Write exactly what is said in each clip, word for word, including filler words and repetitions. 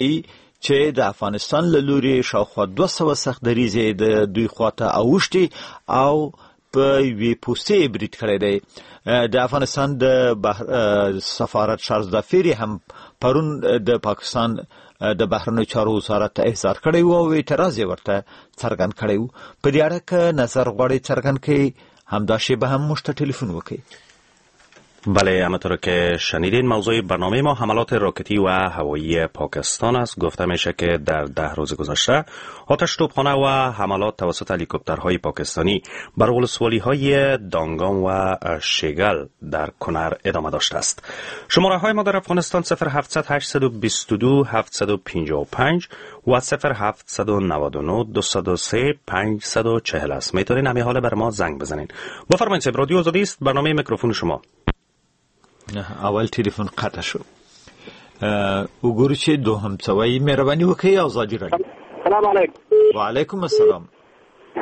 چې د افغانستان له لوري شاوخوا دوه سوه سخت دریځې د دوی خواته اوښتي او په یوې پوستې برید کړی دی. د افغانستان د بحر... سفارت شارژدافیر هم پرون د پاکستان د بهرنیو چارو وزارت ته احضار کړی و او اعتراض یې ورته څرګند کړی و. په دې اړه که نظر غواړئ څرګند کړئ، همدا شېبه هم موږ ته ټلیفون وکړئ. بله، همانطور که شنیدین موضوع برنامه ما حملات راکتی و هوایی پاکستان است. گفته میشه که در ده روز گذشته آتش توپخانه و حملات توسط هلیکوپترهای پاکستانی بر ولسوالی های دانگام و شیگل در کنر ادامه داشته است. شماره های ما در افغانستان صفر هفت هشت دو دو هفت پنج پنج و صفر هفت نه نه دو سه پنج چهل است. میتونین همین حال بر ما زنگ بزنین. بفرمایید صاحب، رادیو آزادی است، برنامه میکروفون شما. اول ټلیفون قطع شو. وګورو چې دوهم څه وایي. مهرباني وکړئ ازادي راډیو. سلام علیکم. وعلیکم السلام.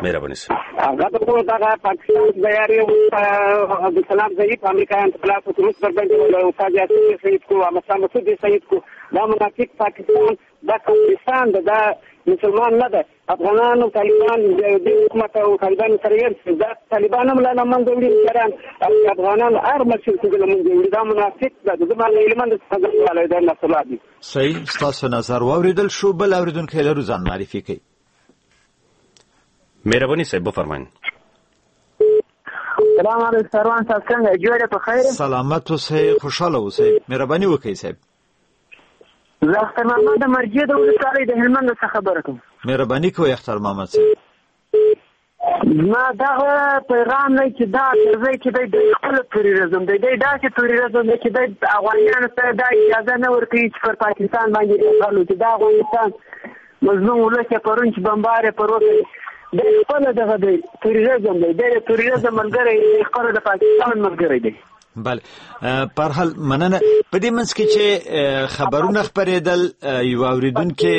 مهرباني صاحب. هغه د دغه پاکستان بیاري عبدالسلام ضعیف امریکایان خلاف روس بربند استاد یاسین شهید کو، احمد مسعود شهید کو. دا منافق پاکستان، دا پاکستان دا مسلمان نه ده. افغانان او طالبان د حکومت او طالبان سره یې دا طالبان هم لا منځه وړي، افغانان هر مسیر کې له منځه وړي. دا منافق ده. زما له علم څخه غواړم دا نسل دي. صحیح، ستاسو نظر واورېدل شو. بل اورېدونکی لرو، ځان معرفي کوي. مهرباني صاحب بفرمایئ. سلام علیکم سروان صاحب، څنګه جوړ په خیر؟ سلامت اوسئ، خوشاله اوسئ. مهرباني وکړئ صاحب. زه اختر محمد د مرجع د ولسوالۍ د هلمند څخه خبره کوم. مهرباني کوئ اختر محمد صاحب. زما دغه پیغام دی چې دا کرزی چې دی د خپل تروریزم دی، دی داسې تروریزم دی چې دی افغانانو ته دا اجازه نه ورکوي چې پر پاکستان باندې یرغل وکړي. دا افغانستان مظلوم ولس یې پرون چې بمبار یې پر وکړ، دی خپله دغه دی تروریزم دی، دی د تروریزم ملګری دی، خپله د پاکستان ملګری دی. بله، په هر حال مننه. په دې منځ کې چې خبرونه خپرېدل، یو اورېدونکي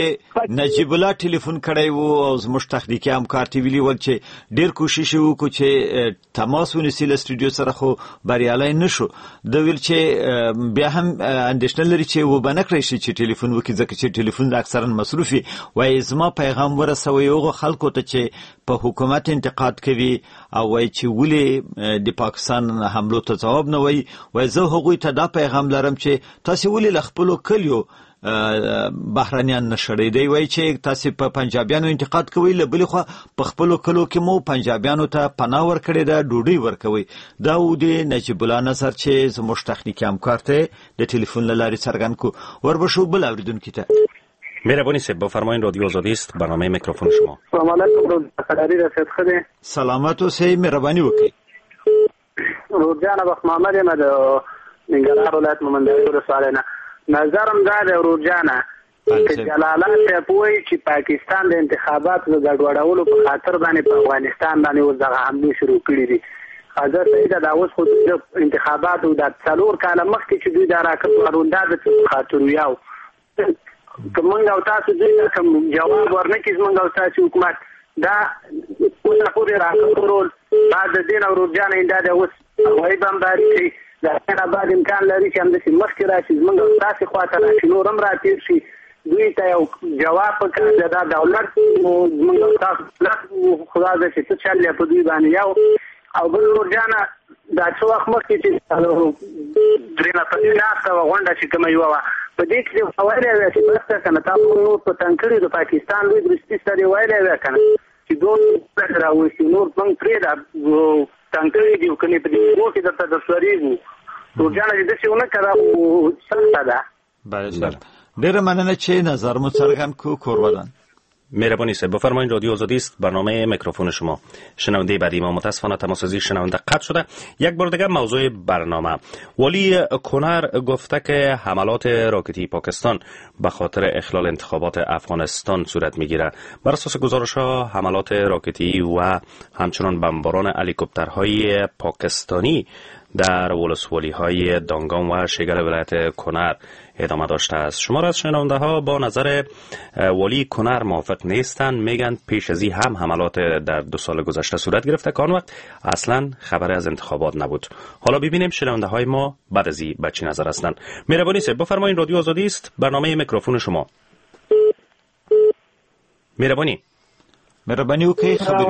نجیب الله ټلیفون کړی و او زموږ تخنیکي همکار ته ویلي ول چې ډېر کوشش یې وکړو چې تماس ونیسي له سټوډیو سره، خو بریالی نه شو. ده ویل چې بیا هم اندېښنه لري چې وبه نه کړی شي چې ټلیفون وکړي، ځکه چې ټلیفون اکثرا مصروف وي. وایي زما پیغام ورسوئ هغو خلکو ته چې په حکومت انتقاد کوي او وایي چې ولې د پاکستان حملو ته ځواب نه وایي. وایي زه هغوی ته دا پیغام لرم چې تاسې ولې له خپلو کلیو بهرنیان نه شړئ. دی وایي چې تاسې په پنجابیانو انتقاد کوئ، له بلې خوا په خپلو کلو کې مو پنجابیانو ته پناه ورکړې ده، ډوډۍ ورکوئ. دا و د نجیب الله نظر چې زموږ تخنیکي همکار ته د ټلیفون له لارې څرګند کړو. وربه شو بل اورېدونکي ته. مهرباني صاحب بفرمایید، رادیو آزادی است، برنامه میکروفون شما. سلام علیکم ورور، ښه دی؟ سلامت اوسئ، مهرباني وکړئ. ورور جانه، بخت محمد یم د ننګرهار ولایت مومندرې ولسوالۍ نه. نظرم دا دی ورور جانه چې جلاله صاحب وایي چې پاکستان د انتخاباتو د ګډوډولو په خاطر باندې په افغانستان باندې اوس دغه حملې شروع کړې دي. حضرت صحیح ده، دا اوس خو د انتخاباتو دا څلور کاله مخکې چې دوی دا راکټ ورون، دا د څه په خاطر وي؟ او که موږ او تاسو دوی ته کوم جواب ورنه کړي، زموږ او تاسو حکومت دا اوسه پورې راکټ ورول بعد د دې نه ورور جانه دا د اوس هوایي بمباري کوي. د دې نه بعد امکان لري چې همداسې مخکې راشي، زموږ او تاسې خواته راشي، نور هم راتېر شي. دوی ته یو جواب پکار دی. دا دولت زموږ او تاسو دولت خدا دې چې څه چل دی په دوی باندې. یو او بل ورور جانه، دا څه وخت مخکې چې درې نفري ناسته وه، غونډه چې کومه یوه وه، په دې کې ویلی وی چې بس ده که نه، تاسو نور په تنګ کړي د پاکستان لوی درستیز ته دې ویلی وی که نه چې دوی راوستي، نور موږ پرېږده تنګ کړي دي، که نه په دې اوبو کې درته درسورېږو. ورور جانه چې داسې ونه کړه خو سخته ده. بله صاحب، ډېره مننه چې نظر مو څرګند کړو. کور ودان. مهربانی صاحب بفرمایید، رادیو آزادی است، برنامه میکروفون شما. شنونده بعدی ما متاسفانه تماس از شنونده قطع شده. یک بار دیگه موضوع برنامه. والی کنر گفته که حملات راکتی پاکستان به خاطر اخلال انتخابات افغانستان صورت میگیره. بر اساس گزارش ها حملات راکتی و همچنان بمباران هلیکوپترهای پاکستانی در ولسوالی های دانگام و شگل ولایت کنر ادامه داشته است. شمار از شنونده ها با نظر والی کنر موافق نیستند، میگن پیش از این هم حملات در دو سال گذشته صورت گرفته که آن وقت اصلا خبر از انتخابات نبود. حالا ببینیم شنونده های ما بعد از این به چه نظر هستند. مهربانی صاحب بفرمایید، رادیو آزادی است، برنامه میکروفون شما. مهرباني. مهرباني وکړئ خبرې.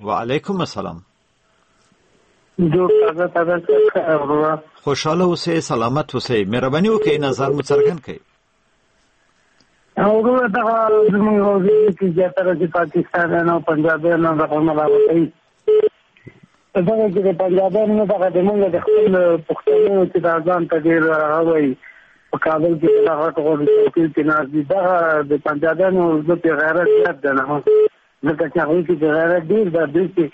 وعلیکم السلام. جوړ تازه تازه. خوشحاله اوسئ، سلامت اوسئ. مهرباني وکړئ نظر مو څرګند کړئ. وروره دغه زموږ چې زیاتره چې پاکستانیان او پنجابیان دغه ملامتوي، دغه چې د پنجابیانو نه دغه د موږ د خپل پښتنو چې دا ځان ته ډېر هغه وایي په کابل کې دغه غټ غټ څوکۍ کې ناست دي، دغه د پنجابیانو زه پې غیرت زیات دی نه، ځکه چې هغوی کې غیرت ډېر ده، دوی کې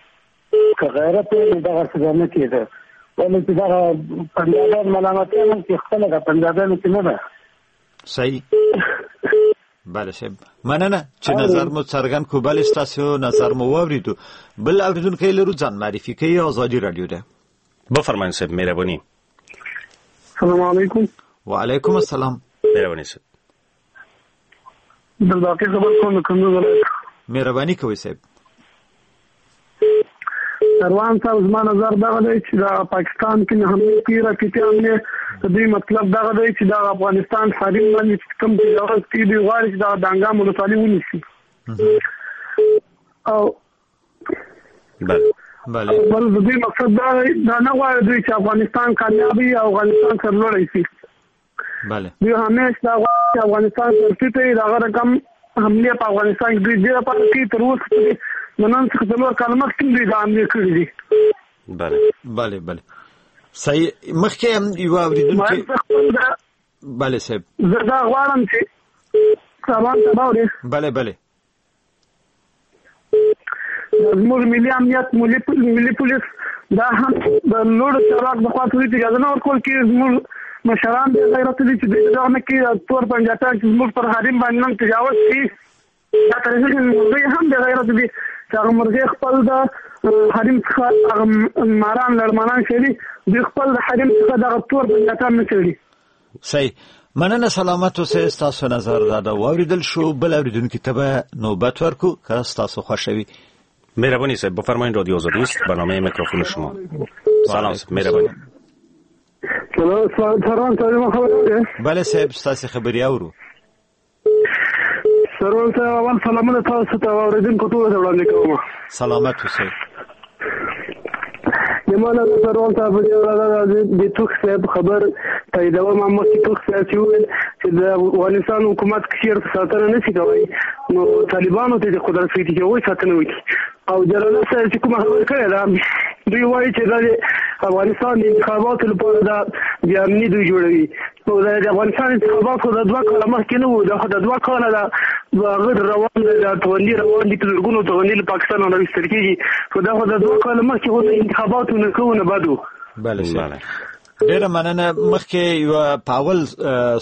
که غیرت وي نو دغه څه به نه کېده. ولې چې دغه پنجابیان ملامتیا هم چې خپله د پنجابیانو کې نه ده. صحیح. بله صاحب، مننه چې نظر مو څرګند کړو. بله ستاسو نظر مو واورېدو. بل اورېدونکی لرو، ځان معرفي کوي، ازادي راډیو ده. بفرمایئ صاحب. مهرباني. سلام علیکم. وعلیکم السلام. مهرباني صاحب. عبدالباقي خبر کوم د کندوز ولایت. مهرباني کوئ صاحب. سروان صاحب، زما نظر دغه دی چې د پاکستان کې حملې کوي، راکټي حملې، د دوی مطلب دغه دی چې د افغانستان حریم باندې چې کوم تجاوز کوي، دوی غواړي چې دغه دانګام ولسوالي ونیسي. او بله بله بل د دوی مقصد دا دا نه غواړي دوی چې افغانستان کامیاب وي او افغانستان سرلوړی شي. بله دوی همیش دا غواړي چې افغانستان سرټیټ وي. دغه رقم حملې په افغانستان کې دوی ډېره پاتې کوي. تر اوسه پورې د نن څخه څلور کاله مخکې دوی دا حملې کړې دي. بله بله بله صحیح. مخکې هم یو اورېدونکی. بله صاحب، زه دا غواړم چې سامان ته واورې. بله بله زموږ ملي امنیت، ملي پولیس دا هم د لوړو چارواکو د خوا ته اجازه نه ورکول کېږي. زموږ مشران بې غیرته دي چې دوی دغه نه کوي. تور پنجابیان چې زموږ پر حریم باندې نن تجاوز کوي، دا تر مرغۍ هم بې غیرته دي چې هغه مرغۍ خپل د حریم څخه هغه ماران لړمانان شړي، دوی خپل د حریم څخه دغه تور پنجابیان نه شړي. صحیح. مننه، سلامت اوسئ. ستاسو نظر دا ده واورېدل شو. بل اورېدونکي ته به نوبت ورکړو که ستاسو خوښه وي. مهرباني صاحب. بفرمایید رادیو آزادی است، برنامه میکروفون شما. سلام صاحب. مهرباني. سلام سلام صاحب، خبرې. بله صاحب، ستاسو خبرې اورو. سرور صاحب، اول سلامونه تاسو ته او اورېدونکو ټولو ته وړاندې کوم. سلامت اوسئ. زما نظر سرور صاحب په دې اړه د توخ صاحب خبر تاییدوم. مخکې توخ صاحب چې وویل چې د افغانستان حکومت چېرته ساتنه نه شي کولی، نو طالبانو ته د قدرت ورکړي چې هغوی ساتنه وکړي. او جلاله صاحب چې کومه خبره کړې ده، دوی وایي چې دا د افغانستان د انتخاباتو لپاره دا بې امني دوی جوړوي. نو د افغانستان انتخابات خو د دوه کاله مخکې نه وو، دا خو د دوه کاله دا هغه روان دی، دا توغندي روان دي، په زرګونو توغندي له پاکستانه راویستل کېږي. خو دا خو د دوه کاله مخکې خو انتخاباتو نه کوو نه بد وو. بله بله ډېره مننه. مخکې یوه په اول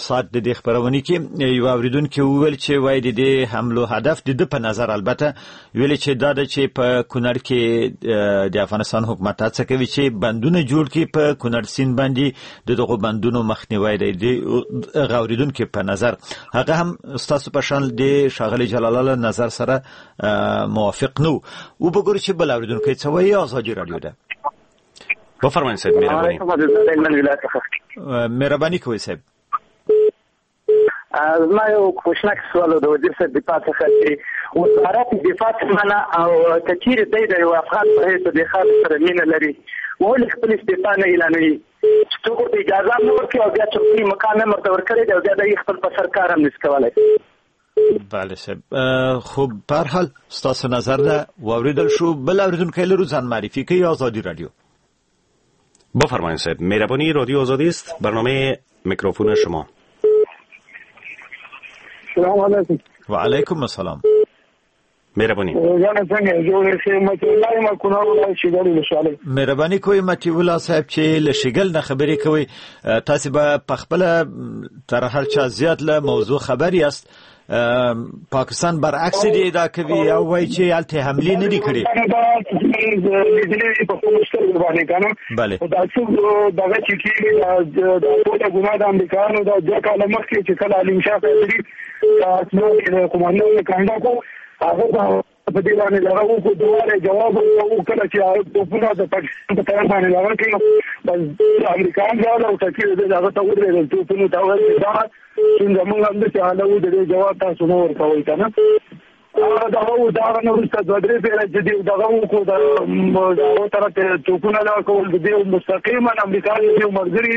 ساعت د دې خپرونې کې یو اورېدونکي وویل چې وایي د دې حملو هدف د ده په نظر البته ویلې چې دا ده چې په کونړ کې د افغانستان حکومت هڅه کوي چې بندونه جوړ کړي په کونړ سیند باندې، د دغو بندونو مخنیوی دی. د هغه اورېدونکي په نظر هغه هم ستاسو په شان د ښاغلي جلاله له نظر سره موافق نه و. وبه ګورو چې بل اورېدونکی څه وایي. ازادي راډیو ده. بفرمایئ صاحب. مهرباني. مهرباني کوئ صاحب. زما یو کوچنی سوال د وزیر صاحب دفاع څخه چې وزارت دفاع څه معنا او که چیرې دی د یو افغان په حیث د خاورې سره مینه لري، ولې خپل استعفا نه اعلانوي؟ چې څوک ورته اجازه هم نه ورکوي او بیا چوکۍ مقام هم ورته ورکړی دی او بیا دی خپل په سر کار هم نشي کولی. بله صاحب، خو په هر حال ستاسو نظر ده واورېدل شو. بل اورېدونکی لرو، ځان معرفي کوي، ازادي راډیو. بفرمایید صاحب. مهربانی. رادیو آزادی است، برنامه میکروفون شما. سلام علیکم. و علیکم السلام. مهربانی. مهرباني کوئ مطیع الله صاحب چې له شیګل نه خبرې کوئ. تاسو به په خپله تر هر چا زیات له موضوع خبر یاست. پاکستان برعکس دی ادعا کوي او وایي چې هلته حملې نه دي کړې. لیدلې په خپلو سترګو باندې که نه. بله. دا څوک دغه چې کېږي دا ټوله ګناه د امریکایانو ده. دوه کاله مخکې چې کله علیم شاه فیصلي د قومندان یې کنډه کړو، هغه په دې باندې دغه وکړو، دواره جواب ورکړو. کله چې توپونه د پاکستان په طرف باندې دغه کړي، بس امریکایان راغلل او ټکي هغه ته ودرېدل، توپونو ته وویل چې دا څنګه موږ هم داسې حاله وو، د دې جواب تاسو نه ورکوئ که نه. هغه دغه و د هغه نه وروسته دوه درې پېره چې دیو دغه وکړو د هغو طرف ته توپونه لا کول د دیو مستقیما امریکا د دیو ملګري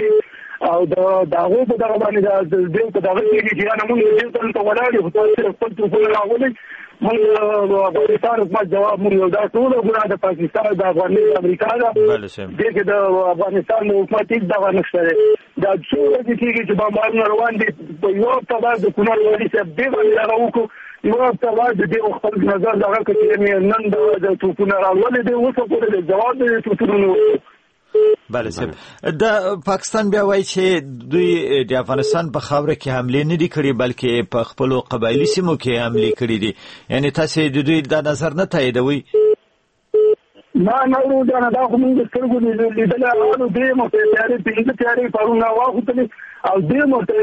او د هغو په دغه باندې د دیو په دغه کېږي چې یانه موږ دیو ته دلته ولاړ یو خو تاسو خپل توپونه راغولئ موږ افغانستان حکومت جواب موږ یو دا ټوله ګناه د پاکستان د افغانستان د امریکا ده دې کې د افغانستان حکومت هېڅ دغه نشته دی دا څو ورځې کېږي چې بمبارونه روان دي په یوه هفته بعد د کونړ والي صاحب دې باندې دغه وکړو یوه هفته بعد د دې خپل نظر دغه کړ چې نن د توپونه راولې دی اوسه پورې د جواب د توپونو نه ورکړو. بله صاحب د پاکستان بیا وایي چې دوی د افغانستان په خاوره کې حملې نه دي کړې بلکې په خپلو قبایلي سیمو کې حملې کړې دي یعنی تاسې د دوی دا نظر نه تاییدوئ؟ نه نه ورور جانه دا خو موږ سترګو لیدلی هغه درې موټر طیارې پنځه طیارې پرون راواخوتلې او درې موټر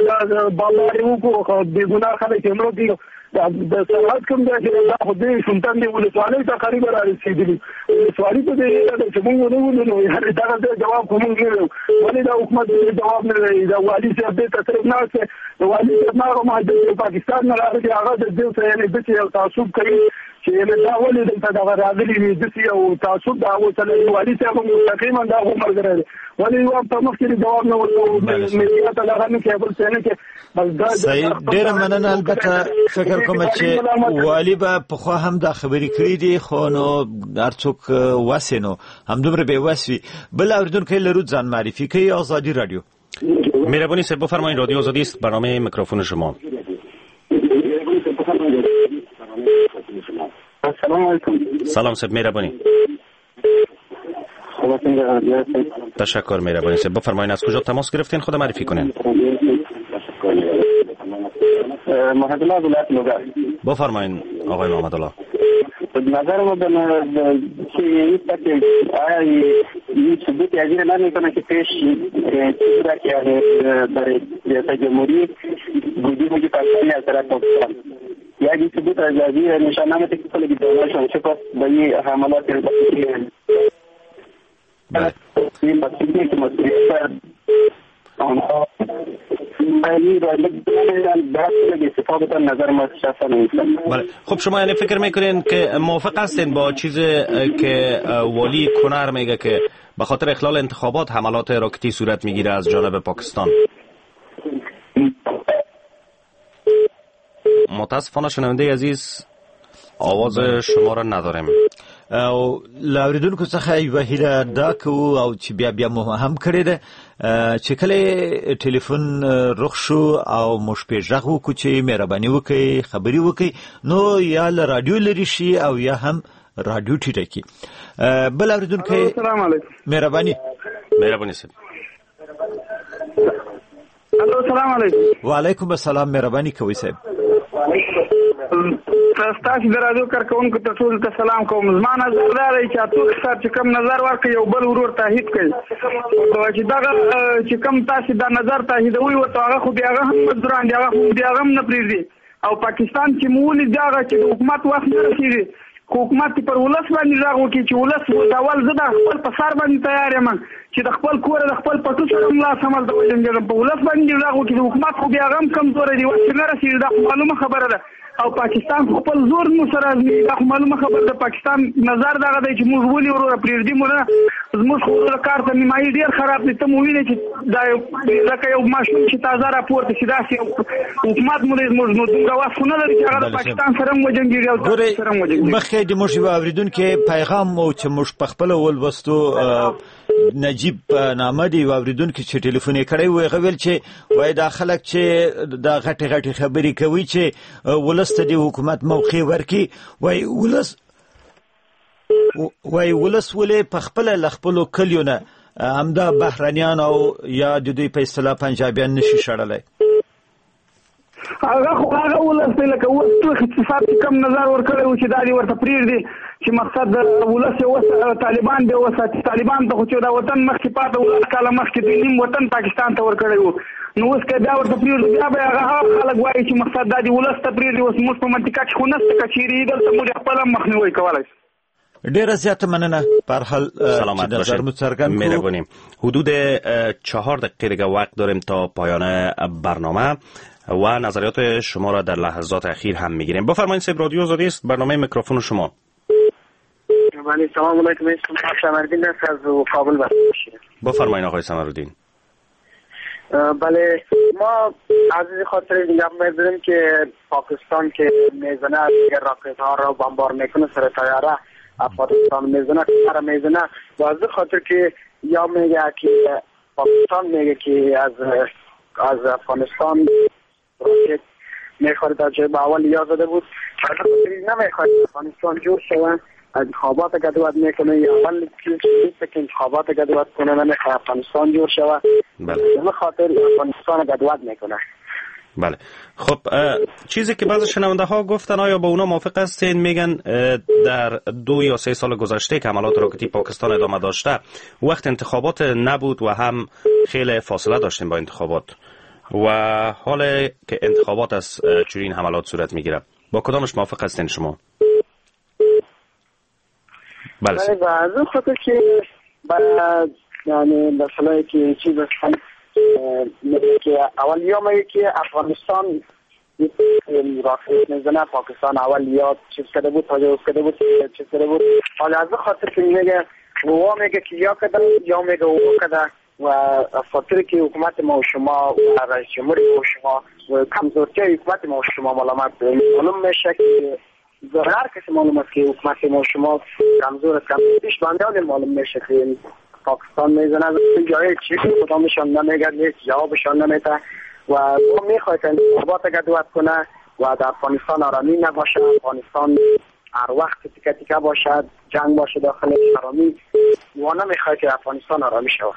بمبار یې وکړو خو بېګناه خلک یې مړه کړي د سرحد کوم ځای چې دا خو دې شونتن دی ولسوالۍ ته قریبه را رسېدلي ولسوالي په دې هیله ده چې موږ ونه ولو نو یعنې دغه ځای جواب خو موږ نه ویو ولې دا حکومت دې جواب نه وایي دا والي صاحب دې ته صرف ناست دی د والي صاحب نه هغه مهاجر چې پاکستان نه راغلي هغه د دې سره یعنې داسې یو تعصب کوي چې یعنې دا ولې دلته دغه راغلي وي داسې یو تعصب د هغو سره لري والي صاحب هم مستقیما د هغو ملګری دی ولې یو هفته مخکې جواب نه ورکوو میډیا ته دغه نه کوي بل څه نه کوي صحیح ډېره مننه البته فکر کوم چې والي به پخوا هم دا خبرې کړې دي خو نو هر څوک وس یې نو همدومره بې وس وي بل اورېدونکی لرو ځان معرفي کوي ازادي رادیو مهربانی صاحب بفرمایید رادیو آزادی است برنامه میکروفون شما. سلام علیکم. سلام صاحب مهربانی. تشکر مهربانی صاحب بفرمایید از کجا تماس گرفتین خود معرفی کنین. محمد الله ولایت لوگر. بفرمایید آقای محمد الله. نظر ما به که آیا این ثبوت از این نمیکنه که پیش چیزی که برای ریاست جمهوری بودی بودی پاکستانی از طرف پاکستان یا این ثبوت از این نشان نمیده که کل دولتشون چه به این حملات این مسئولیت که مسئولیت آنها بله خب شما یعنی فکر میکنین که موافق هستین با چیزی که والی کنر میگه که به خاطر اخلال انتخابات حملات راکتی صورت میگیره از جانب پاکستان؟ متاسفانه شنونده عزیز آواز شما را نداریم. او له اورېدونکو څخه یوه هیله دا کوو او چې بیا بیا مو هم کړې ده چې کله ټلیفون رخ شو او موږ پرې غږ وکړو چې مهرباني وکړئ خبرې وکړئ نو یا له راډیو لرې شي او یا هم راډیو ټیټه کړي. بل اورېدونکی السلام علیکم. مهرباني مهرباني صاحب. الو السلام علیکم. وعلیکم السلام مهرباني کوئ صاحب. ستاسو د راډیو کارکوونکو ته ټولو ته سلام کوم. زما نظر دا دی چې اتوک صاحب چې کوم نظر ورکړي یو بل ورور تایید کوي چې دغه چې کوم تاسې دا نظر تاییدوئ ورته هغه خو بیا هغه هم مزدوران دي هغه خو بیا هغه هم نه پرېږدي او پاکستان چې مو ولید هغه چې د حکومت وخت نه رسېږي خو حکومت پر ولس باندې غږ وکړي چې ولس اوس اول زه د خپل په سر باندې تیار یم چې د خپل کور د خپل پټو سره هم لاس هم هلته وجنګېږم په ولس باندې غږ وکړي. د حکومت خو بیا هغه هم کمزوری دی وخت نه رسېږي دا خو معلومه خبره ده او پاکستان خو خپل زور مو سره ازمېيي دا خو معلومه خبره ده. پاکستان نظر دغه دی چې موږ ولې وروره پرېږدي مو نه زموږ خو وروره کار ته نیمایي ډېر خراب دی ته مو وینې چې دا لکه یو ماشوم چې تازه راپورته شي داسې یو حکومت مو دی زموږ نو دومره وس خو نه لري چې هغه د پاکستان سره هم وجنګېږي او سره هم وجنګېږي. مخکې د موږ یو اورېدونکی پیغام و چې موږ په خپله ولوستو نجیب نامه دی یو اورېدونکي چې ټلیفون یې کړی و هغه ویل چې وایي دا خلک چې دا غټې غټې خبرې کوي چې ولس ته د حکومت موقع ورکړي وایي ولس وایي ولس ولې په خپله له خپلو کلیو نه همدا بهرنیان او یا د دوی په اصطلاح پنجابیان نشي شړلی. هغه خو هغه ولس دی لکه اوس توخ اقتصاد چې کوم نظر ورکړی و چې دا دې ورته پرېږدي چې مقصد ولس یې وس طالبان دې وساتي. طالبان ته خو چې دا وطن مخکې پاته و لس کاله مخکې دوی نیم وطن پاکستان ته ورکړی و نو اوس که بیا ورته پرېږدو بیا به هغه هغه خلک وایي چې مقصد دا دې ولس ته پرېږدي. اوس موږ په منطقه کې خو نشته که چېرې دلته موږ خپل هم مخنیوی کولی شو. ډیره زیاته مننه به هر حال سلامت باشید. مهربانی. حدود چهار دقیقه دیگه وقت داریم تا پایان برنامه. و نظریات شما را در لحظات اخیر هم میگیریم. بفرمایید صاحب، رادیو آزادی است، برنامه میکروفون شما. بله سلام علیکم، اسم سمرالدین است از کابل. بفرمایید آقای سمرالدین. بله ما از این خاطر دیگه می‌دونیم که پاکستان که میزنه دیگر راکت ها را بمبار میکنه سر طیاره افغانستان میزنه سر میزنه و از خاطر که یا میگه که پاکستان میگه که از از افغانستان راکت میخواد در جای اول یا زده بود، نمیخواد افغانستان جور شود، انتخابات گدود میکنه یا اول چیز که انتخابات گدود کنه نمیخواد افغانستان جور شود. بله به خاطر افغانستان گدود میکنه. بله خب چیزی که بعضی شنونده ها گفتن آیا با اونا موافق هستین؟ میگن در دو یا سه سال گذشته که حملات راکتی پاکستان ادامه داشته وقت انتخابات نبود و هم خیلی فاصله داشتیم با انتخابات و حال که انتخابات از چنین حملات صورت میگیره، با کدامش موافق هستین شما؟ بله بله از اون خاطر که بعد یعنی مثلا که چیز هست که اول یا میگه که افغانستان راکت میزنه، پاکستان اول یا چیز کرده بود، تجاوز کرده بود، چیز کرده بود. حالا از خاطر که میگه او میگه که یا کده یا میگه او کده و خاطر که حکومت ما و شما و رئیس جمهور ما و شما و کمزورتی حکومت ما و شما معلومات معلوم میشه که هر کسی معلوم است که حکومت ما و شما کمزور است، کمزوریش بنده معلوم میشه که پاکستان میزنه از جای چیز کدامشان نمیگه، نیست جوابشان نمیده و او میخواد که انتخابات گدود کنه و در افغانستان آرامی نباشه، افغانستان هر وقت تیکه تیکه باشد، جنگ باشه داخل آرامی و نمیخواد که افغانستان آرامی شود.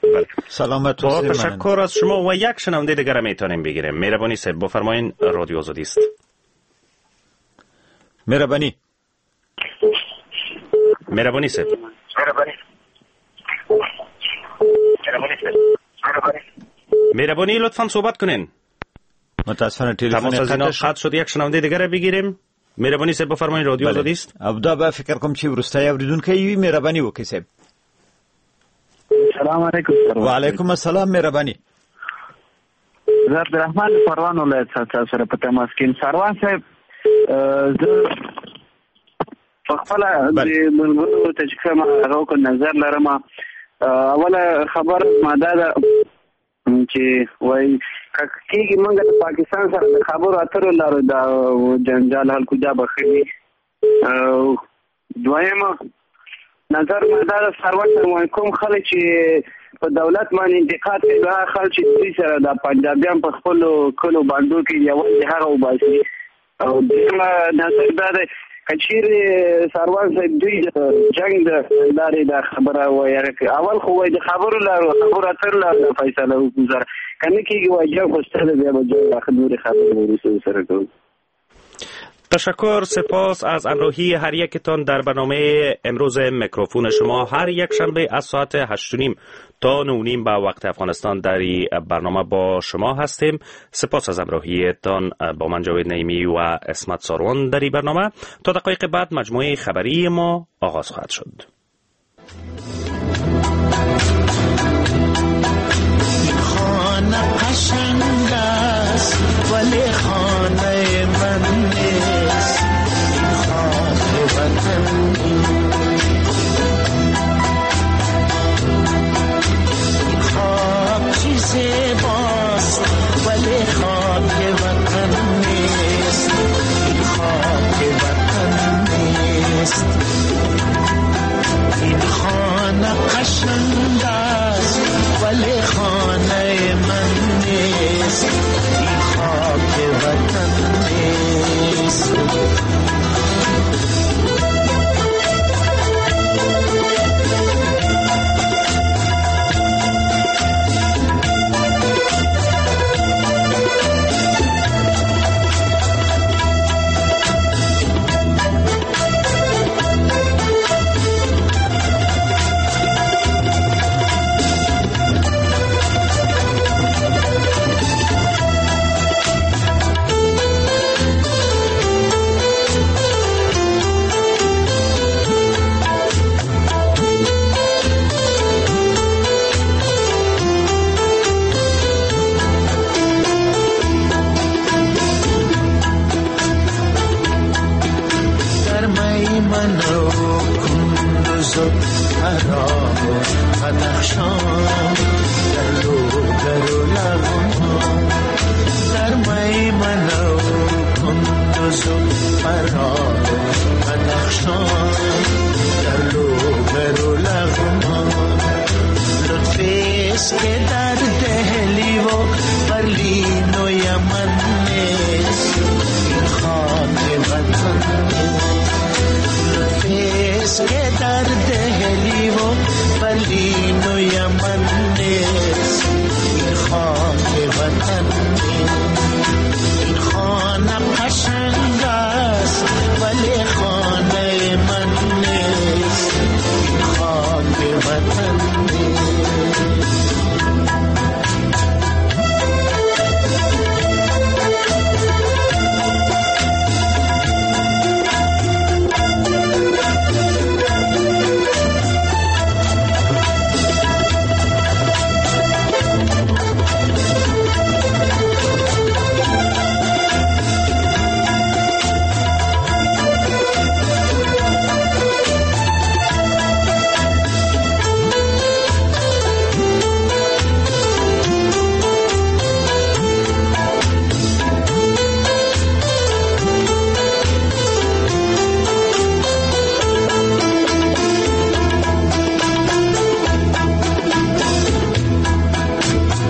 بله. سلامت با تشکر از شما و یک شنونده دیگر میتونیم بگیریم. مهربانی صاحب بفرمایین، رادیو آزادی است. مهربانی مهربانی صاحب مهربانی مهربانی لطفاً صحبت کنین. متاسفانه تلفن تماس از اینا قطع شد. یک شنونده دیگر بگیریم. مهربانی صاحب بفرمایین، رادیو آزادی است. دا به فکر کوم چې وروستی اوریدونکی وي. مهرباني وکړئ صاحب. سلام علیکم. و علیکم السلام. مهرباني. زه عبدالرحمن پروان ولایت څخه سره په تماس کې یم. ساروان صاحب، زه په خپله د ملګرو ته چې کوم هغه وکړ نظر لرم. اوله خبره ما دا ده چې وایي که کېږي موږ د پاکستان سره د خبرو اترو لارو دا جنجال حل کړو دا به ښه وي. دویمه نظر ما دا ده سروان صاحب، وایي کوم خلک چې په دولت باندې انتقاد کوي هغه خلک چې دوی سره د پنجابیان په خپلو کلو بانډو کې یوازې هغه وباسي. او درېیمه نظر دا دی که چیرې ساروان صاحب دوی د جنګ د لارې دا خبره وایي، اول خو وایي د خبرو لارو خبرو اترو لارو فیصله وکړو سره، که نه کېږي وایي جنګ خو شته دی، بیا به جنګ نورې خبرې وروسته سره کوو. تشکر، سپاس از همراهی هر یکتان در برنامه امروز میکروفون شما. هر یک شنبه از ساعت هشت و نیم تا نه و نیم به وقت افغانستان در برنامه با شما هستیم. سپاس از همراهیتان با من جاوید نعیمی و عصمت ساروان در این برنامه. تا دقایق بعد مجموعه خبری ما آغاز خواهد شد. خانه قشنگ است ولی خانه من نیست، این خاک وطن این خاک چی زیباست ولی خاک وطن نیست، این خاک وطن نیست. این خانه قشنگ است ولی خانه من نیست، این خاک وطن نیست. قشنگ است ولی خانه من نیست، این خاک وطن نیست.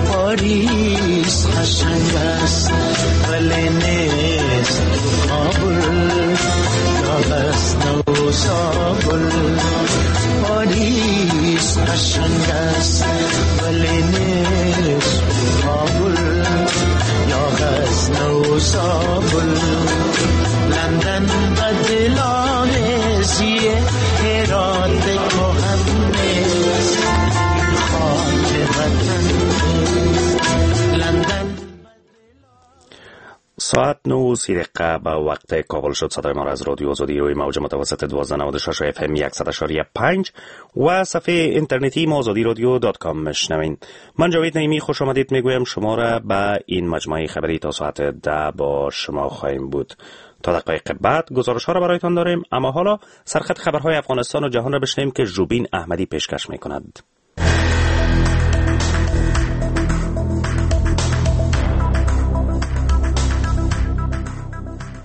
پاریس قشنگ است ولی نیست کابل، یا غزنه و زابل. پاریس قشنگ است ولی نیست کابل، یا غزنه و زابل. لندن بدل آمیزیه، هرات کهن نیست، خاک وطن نیست. لندن. ساعت نه و سی دقیقه به وقت کابل شد. صدای ما را از رادیو آزادی روی موج متوسط دوازده نود و شش اف ام صد و پنج و صفحه اینترنتی ما آزادی رادیو dot com میشنوین. من جاوید نعیمی خوش آمدید میگویم شما را به این مجموعه خبری تا ساعت ده با شما خواهیم بود. تا دقایق بعد گزارش ها را برایتان داریم، اما حالا سرخط خبرهای افغانستان و جهان را بشنویم که ژوبین احمدی پیشکش میکند.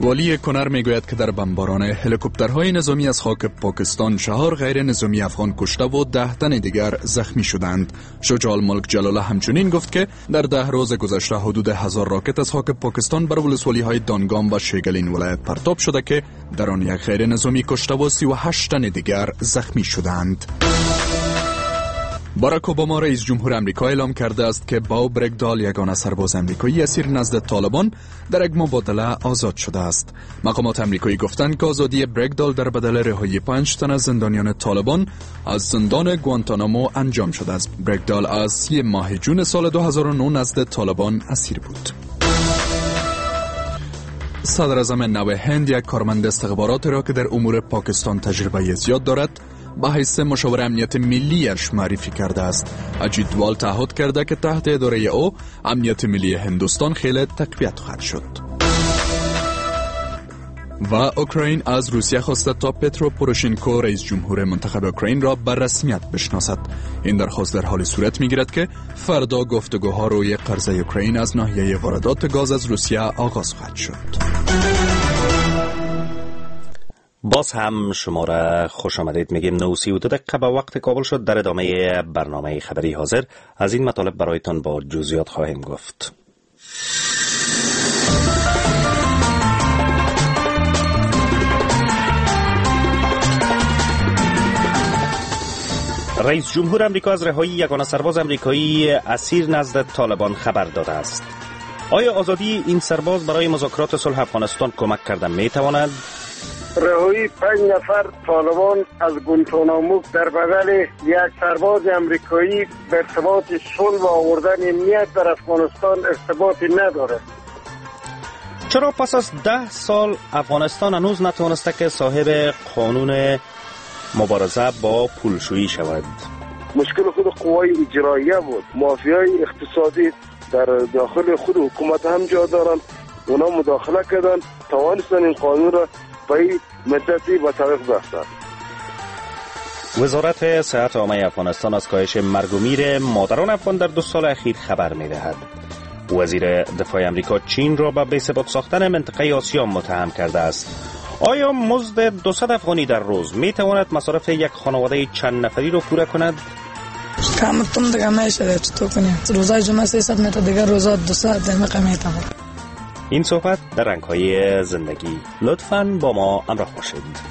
والی کنر میگوید که در بمباران هلیکوپترهای نظامی از خاک پاکستان چهار غیر نظامی افغان کشته و ده تن دیگر زخمی شدند. شجاع الملک جلاله همچنین گفت که در ده روز گذشته حدود هزار راکت از خاک پاکستان بر ولسوالی‌های دانگام و شیگلین ولایت پرتاب شده که در آن یک غیر نظامی کشته و سی و هشت تن دیگر زخمی شدند. باراک اوباما رئیس جمهور امریکا اعلام کرده است که باو برگدال یگانه سرباز امریکایی اسیر نزد طالبان در یک مبادله آزاد شده است. مقامات امریکایی گفتند که آزادی برگدال در بدل رهایی پنج تن از زندانیان طالبان از زندان گوانتانامو انجام شده است. برگدال از سی ماه جون سال دو هزار و نه نزد طالبان اسیر بود. صدر اعظم نو هند یک کارمند استخبارات را که در امور پاکستان تجربه زیاد دارد به حیث مشاور امنیت ملیش معرفی کرده است. اجیت دوال تعهد کرده که تحت اداره او امنیت ملی هندوستان خیلی تقویت خواهد شد. و اوکراین از روسیه خواسته تا پترو پوروشینکو رئیس جمهور منتخب اوکراین را به رسمیت بشناسد. این درخواست در حال صورت میگیرد که فردا گفتگوها روی قرضه اوکراین از ناحیه واردات گاز از روسیه آغاز خواهد شد. باز هم شما را خوش آمدید میگیم. نه و سی و دو دقیقه به وقت کابل شد. در ادامه برنامه خبری حاضر از این مطالب برایتان با جزئیات خواهیم گفت. رئیس جمهور امریکا از رهایی یگانه سرباز امریکایی اسیر نزد طالبان خبر داده است. آیا آزادی این سرباز برای مذاکرات صلح افغانستان کمک کرده میتواند؟ رهایی پنج نفر طالبان از گوانتانامو در بدل یک سرباز امریکایی به ارتباط صلح و آوردن امنیت در افغانستان ارتباطی ندارد. چرا پس از ده سال افغانستان هنوز نتوانسته که صاحب قانون مبارزه با پولشویی شود؟ مشکل خود قوای اجراییه بود. مافیای اقتصادی در داخل خود حکومت هم جا دارن، اونا مداخله کردن، توانستن این قانون را به مدتی به تعویق بیفتند. وزارت صحت عامه افغانستان از کاهش مرگ و میر مادران افغان در دو سال اخیر خبر می‌دهد. وزیر دفاع امریکا چین را به بی‌ثبات ساختن منطقه آسیا متهم کرده است. آیا مزد دویست افغانی در روز می‌تواند مصارف یک خانواده چند نفری را پوره کند؟ کم تم دیگه میشه چطور کنیم؟ روزای جمعه سیصد متر دیگه روزا دویست دقیقه میتم. این صحبت در رنگ‌های زندگی. لطفاً با ما همراه باشید.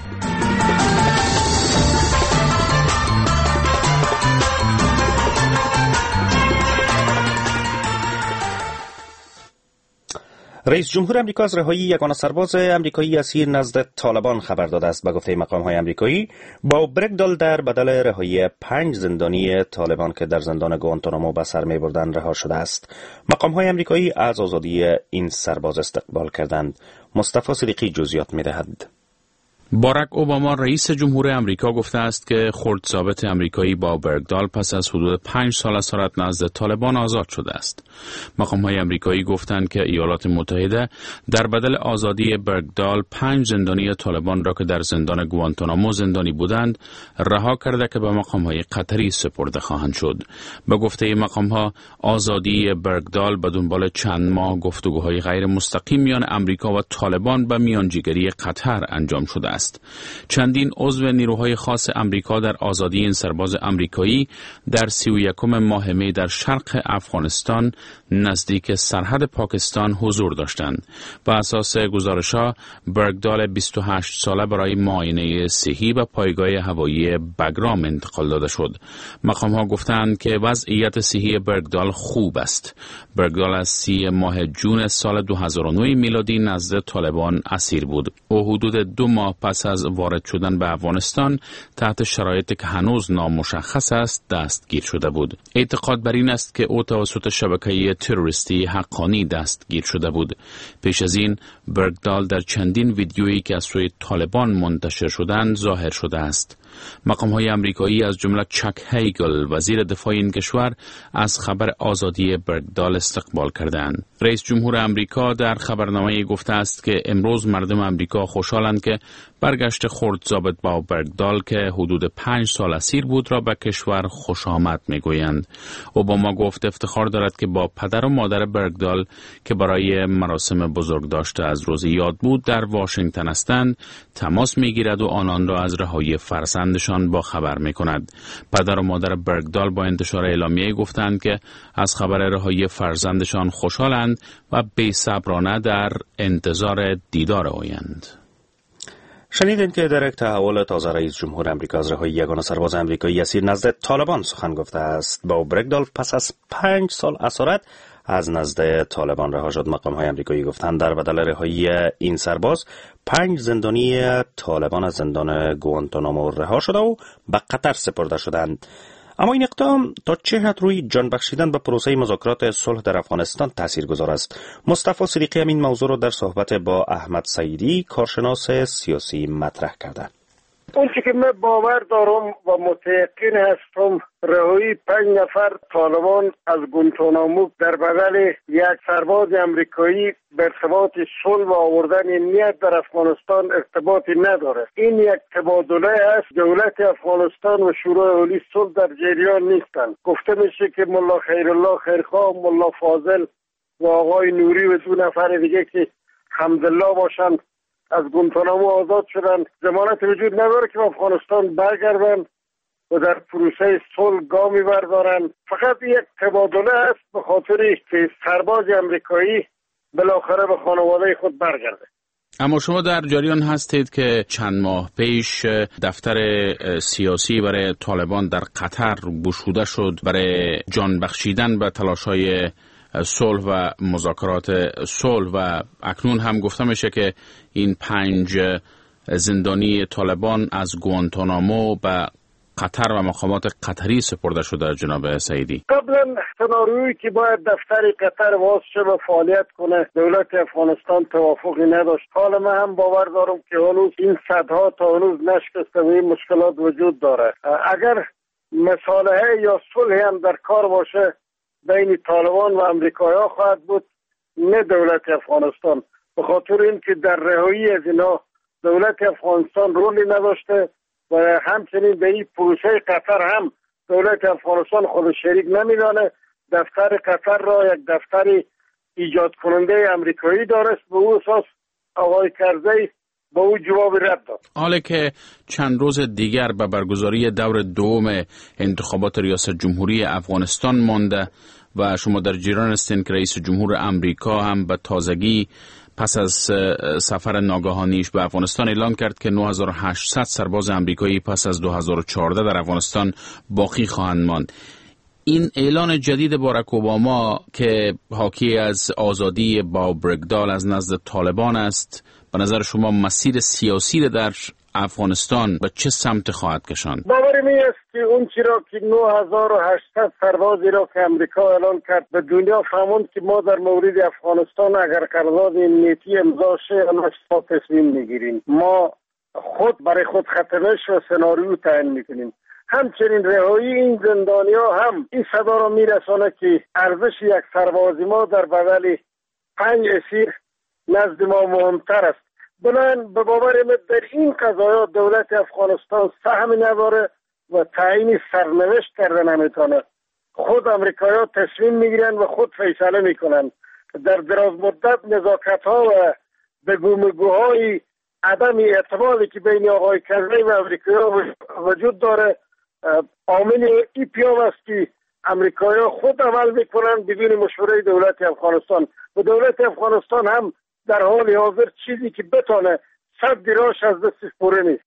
رئیس جمهور امریکا از رهایی یگانه سرباز امریکایی اسیر نزد طالبان خبر داده است. به گفته مقام های امریکایی با برگدال در بدل رهایی پنج زندانی طالبان که در زندان گوانتانامو به سر می‌بردند رها شده است. مقام های امریکایی از آزادی این سرباز استقبال کردند. مصطفی صدیقی جزئیات می‌دهد. باراک اوباما رئیس جمهور امریکا گفته است که خرد ضابط امریکایی با برگدال پس از حدود پنج سال اسارت نزد طالبان آزاد شده است. مقام‌های امریکایی گفتند که ایالات متحده در بدل آزادی برگدال پنج زندانی طالبان را که در زندان گوانتانامو زندانی بودند رها کرده که به مقام‌های قطری سپرده خواهند شد. به گفته مقام‌ها آزادی برگدال به دنبال چند ماه گفتگوهای غیر مستقیم میان امریکا و طالبان به میانجیگری قطر انجام شده است. چندین عضو نیروهای خاص امریکا در آزادی این سرباز امریکایی در سی و یکم ماه می در شرق افغانستان نزدیک سرحد پاکستان حضور داشتند. به اساس گزارش‌ها برگدال بیست و هشت ساله برای معاینه صحی به پایگاه هوایی بگرام انتقال داده شد. مقام‌ها گفتند که وضعیت صحی برگدال خوب است. برگدال از سی ماه جون سال دو هزار و نه میلادی نزد طالبان اسیر بود. او حدود دو ماه پس از وارد شدن به افغانستان تحت شرایطی که هنوز نامشخص است دستگیر شده بود. اعتقاد بر این است که او توسط شبکه تروریستی حقانی دستگیر شده بود. پیش از این برگدال در چندین ویدیویی که از سوی طالبان منتشر شدند ظاهر شده است. مقام‌های امریکایی از جمله چک هیگل وزیر دفاع این کشور از خبر آزادی برگدال استقبال کردند. رئیس جمهور امریکا در خبرنامه گفته است که امروز مردم امریکا خوشحالند که برگشت خرد ضابط با برگدال که حدود پنج سال اسیر بود را به کشور خوش آمد میگویند. اوباما گفت افتخار دارد که با پدر و مادر برگدال که برای مراسم بزرگداشت از روز یاد بود در واشنگتن هستند تماس میگیرد و آنان را از رهایی فرزندشان با خبر میکند. پدر و مادر برگدال با انتشار اعلامیه گفتند که از خبر رهایی فرزندشان خوشحالند و بی‌صبرانه در انتظار دیدار آیند. شنیدین که در یک تحول تازه رئیس جمهور امریکا از رهایی یگانه سرباز امریکایی اسیر نزد طالبان سخن گفته است. با برگدال پس از پنج سال اسارت از نزد طالبان رها شد. مقام های امریکایی گفتند در بدل رهایی این سرباز پنج زندانی طالبان از زندان گوانتانامو رها شده و به قطر سپرده شدند. اما این اقدام تا چه حد روی جان بخشیدن به پروسه مذاکرات صلح در افغانستان تاثیرگذار است؟ مصطفی صدیقی هم این موضوع را در صحبت با احمد سعیدی کارشناس سیاسی مطرح کرده. اون چی که من باور دارم و متیقن هستم رهایی پنج نفر طالبان از گوانتانامو در بدل یک سرباز امریکایی به ارتباط صلح و آوردن امنیت در افغانستان ارتباطی نداره. این یک تبادله است. دولت افغانستان و شورای عالی صلح در جریان نیستند. گفته میشه که ملا خیرالله خیرخواه، ملا فاضل و آقای نوری و دو نفر دیگه که حمدالله باشند از گوانتانامو آزاد شدند. ضمانت وجود نداره که به افغانستان برگردند و در پروسه صلح گامی بردارند. فقط یک تبادله است به خاطر که سرباز امریکایی بالاخره به خانواده خود برگرده. اما شما در جریان هستید که چند ماه پیش دفتر سیاسی برای طالبان در قطر گشوده شد برای جان بخشیدن به تلاش‌های صلح و مذاکرات صلح و اکنون هم گفته میشه که این پنج زندانی طالبان از گوانتانامو به قطر و مقامات قطری سپرده شده. جناب سعیدی، قبلا سناریویی که باید دفتر قطر باز شه و فعالیت کنه دولت افغانستان توافقی نداشت. حالا من هم باور دارم که هنوز این صدها تا هنوز نشکسته و این مشکلات وجود داره. اگر مصالحه یا صلح هم در کار باشه بین طالبان و امریکایی‌ها خواهد بود، نه دولت افغانستان، به خاطر اینکه در رهایی از اینا دولت افغانستان رولی نداشته و همچنین به این پروسه قطر هم دولت افغانستان خود شریک نمیدانه. دفتر قطر را یک دفتر ایجاد کننده امریکایی دارست، به او اساس آقای کرزی با او جواب رد داد. حالا که چند روز دیگر به برگزاری دور دوم انتخابات ریاست جمهوری افغانستان مانده و شما در جریان هستین که رئیس جمهور امریکا هم به تازگی پس از سفر ناگهانیش به افغانستان اعلام کرد که نه هزار و هشتصد سرباز امریکایی پس از دو هزار و چهارده در افغانستان باقی خواهند ماند. این اعلان جدید باراک اوباما که حاکی از آزادی با برگدال از نزد طالبان است، به نظر شما مسیر سیاسی در افغانستان به چه سمت خواهد کشاند؟ باور می است که اون چی را که نه هزار و هشتصد سربازی را که امریکا اعلان کرد به دنیا فهموند که ما در مورد افغانستان اگر قرارداد امنیتی امضا شه ما تصمیم میگیریم، ما خود برای خود خطرش و سناریو تعیین میکنیم. همچنین رهایی این زندانیا هم این صدا را میرسانه که ارزش یک سربازی ما در بدل پنج اسیر نزد ما مهمتر است. بنابراین به باور من در این قضایا دولت افغانستان سهم نداره و تعیین سرنوشت کرده نمیتونه. خود امریکایی‌ها تصمیم میگیرن و خود فیصله میکنن. در دراز مدت نزاکت‌ها و بگومگوهای عدم اعتمادی که بین آقای کرزی و امریکایی‌ها وجود داره عامل این پیام است که امریکایی‌ها خود عمل میکنن بدون مشوره دولت افغانستان و دولت افغانستان هم در حال حاضر چیزی که بتانه صد دیراش از دستش پوره نیست.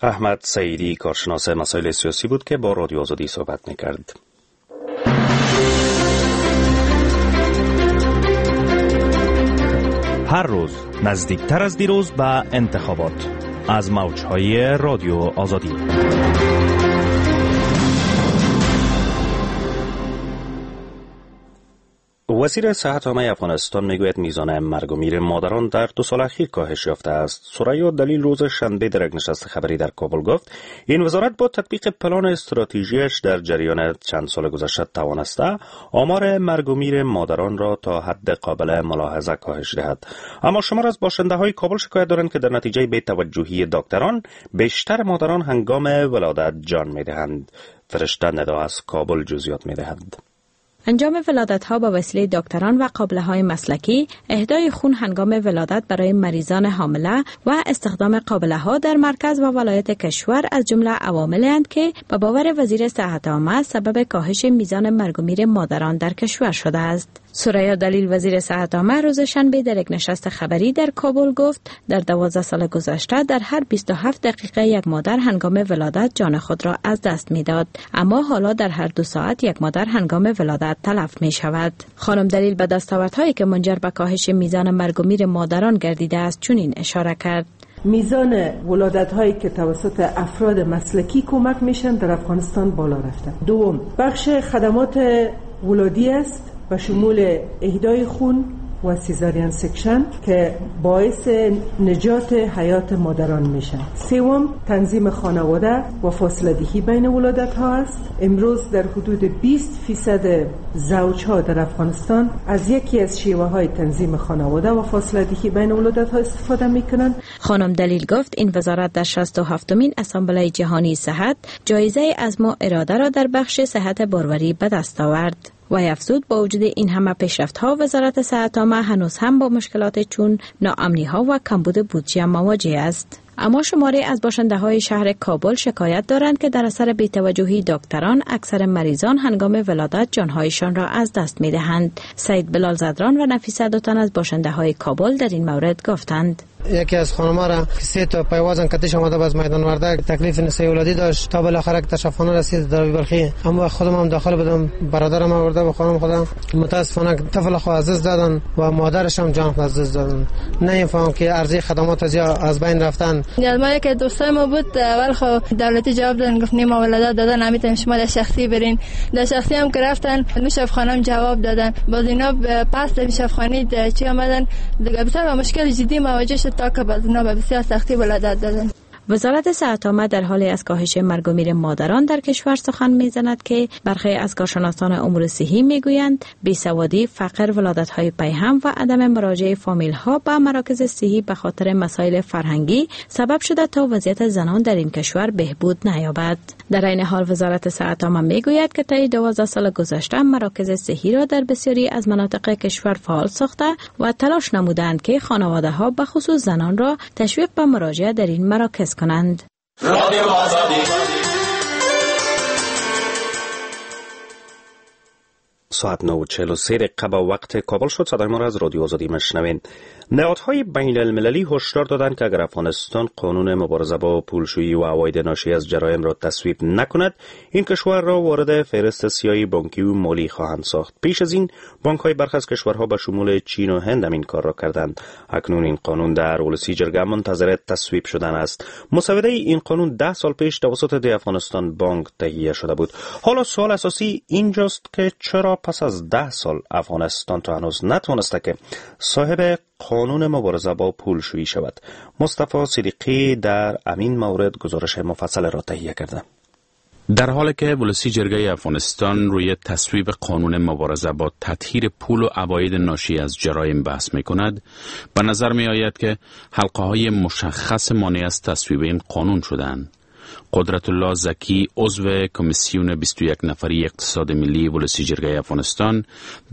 احمد سعیدی کارشناس مسائل سیاسی بود که با رادیو آزادی صحبت میکرد. هر روز نزدیکتر از دیروز به انتخابات از موجهای رادیو آزادی. وزیر صحت عامه افغانستان میگوید میزان مرگ و میر مادران در دو سال اخیر کاهش یافته است. ثریا دلیل روز شنبه در یک نشست خبری در کابل گفت این وزارت با تطبیق پلان استراتژیش در جریان چند سال گذشته توانسته آمار مرگ و میر مادران را تا حد قابل ملاحظه کاهش دهد. اما شمار از باشنده های کابل شکایت دارند که در نتیجه بی‌توجهی دکتران بیشتر مادران هنگام ولادت جان میدهند. فرشته ندا از کابل جزئیات میدهد. انجام ولادت‌ها با وسیله دکتران و قابله‌های مسلکی، اهدای خون هنگام ولادت برای مریضان حامله و استخدام قابله‌ها در مرکز و ولایت کشور از جمله عواملی اند که به باور وزیر صحت عامه سبب کاهش میزان مرگ و میر مادران در کشور شده است. ثریا دلیل وزیر صحت عامه روز شنبه در یک نشست خبری در کابل گفت در دوازده سال گذشته در هر بیست و هفت دقیقه یک مادر هنگام ولادت جان خود را از دست میداد، اما حالا در هر دو ساعت یک مادر هنگام ولادت تلف می شود. خانم دلیل به دستاوردهایی که منجر به کاهش میزان مرگ و میر مادران گردیده است چنین اشاره کرد: میزان ولادت هایی که توسط افراد مسلکی کمک میشن در افغانستان بالا رفته. دوم، بخش خدمات ولادی است و شمول اهدای خون و cesarean section که باعث نجات حیات مادران میشن. سوم، تنظیم خانواده و فاصله دهی بین ولادت ها است. امروز در حدود بیست فیصد زوج ها در افغانستان از یکی از شیوه های تنظیم خانواده و فاصله دهی بین ولادت ها استفاده میکنند. خانم دلیل گفت این وزارت در شصت و هفتمین اسامبله جهانی صحت جایزه از ما اراده را در بخش صحت باروری به دست آورد. و افزود با وجود این همه پیشرفت‌ها وزارت صحت عامه هنوز هم با مشکلات چون ناامنی‌ها و کمبود بودجه مواجه است. اما شماری از باشنده‌های شهر کابل شکایت دارند که در اثر بی‌توجهی دکتران اکثر مریضان هنگام ولادت جانهایشان را از دست می‌دهند. سید بلال زدران و نفیسه دو تن از باشنده‌های کابل در این مورد گفتند: یکی از خانم‌ها را سه تا پیوازن کتش آمده باز میدان وردک تکلیف نسای ولادی داشت تا بالاخره تشفانه رسید در بلخی. اما خودم هم داخل بودم، برادرم آورده به خانم خودم. متاسفانه طفل خو از دست دادن و مادرش هم جان خود از دست دادن. نمی‌فهمم که ارزی خدمات از از بین رفتن. ما یک دوستای ما بود، اول خو دولتی جواب دادن، گفت نه ما ولادت دادن نمیتونیم، شما در شخصی برین. در شخصی هم که رفتن مشرف خانم جواب دادن، باز اینا پس در مشرف خانه چی آمدن دیگه بسیار مشکل جدی مواجه شد تا که باز اینا به بسیار سختی ولادت دادن. وزارت صحت عامه در حال از کاهش مرگ و میر مادران در کشور سخن میزند که برخی از کارشناسان امور صحی میگویند بیسوادی، فقر، ولادت‌های پیهم و عدم مراجعه فامیل‌ها به مراکز صحی به خاطر مسائل فرهنگی سبب شده تا وضعیت زنان در این کشور بهبود نیابد. در این حال وزارت صحت عامه میگوید که طی دوازده سال گذشته مراکز صحی را در بسیاری از مناطق کشور فعال ساخته و تلاش نمودند که خانواده‌ها به خصوص زنان را تشویق به مراجعه در این مراکز کنند. ساعت نه و چهل و سه دقیقه با وقت کابل شد. صدای ما را از رادیو آزادی مشنوین. نهادهای بین المللی هشدار دادند که اگر افغانستان قانون مبارزه با پولشویی و عواید ناشی از جرایم را تصویب نکند، این کشور را وارد فهرست سیاه بانکی و مالی خواهند ساخت. پیش از این بانک‌های برخی از کشورها به شمول چین و هند هم این کار را کردند. اکنون این قانون در ولسی جرگه منتظر تصویب شدن است. مسوده این قانون ده سال پیش توسط د افغانستان بانک تهیه شده بود. حالا سوال اساسی اینجاست که چرا پس از ده سال افغانستان تا هنوز نتوانسته که صاحب قانون مبارزه با پولشویی شود. مصطفی صدیقی در امین مورد گزارش مفصل را تهیه کرده. در حالی که ولسی جرگه افغانستان روی تصویب قانون مبارزه با تطهیر پول و عواید ناشی از جرایم بحث می کند، به نظر می آید که حلقه های مشخص مانع از تصویب این قانون شدند. قدرت الله زکی، عضو کمیسیون بیست و یک نفری اقتصاد ملی ولسی جرگه افغانستان،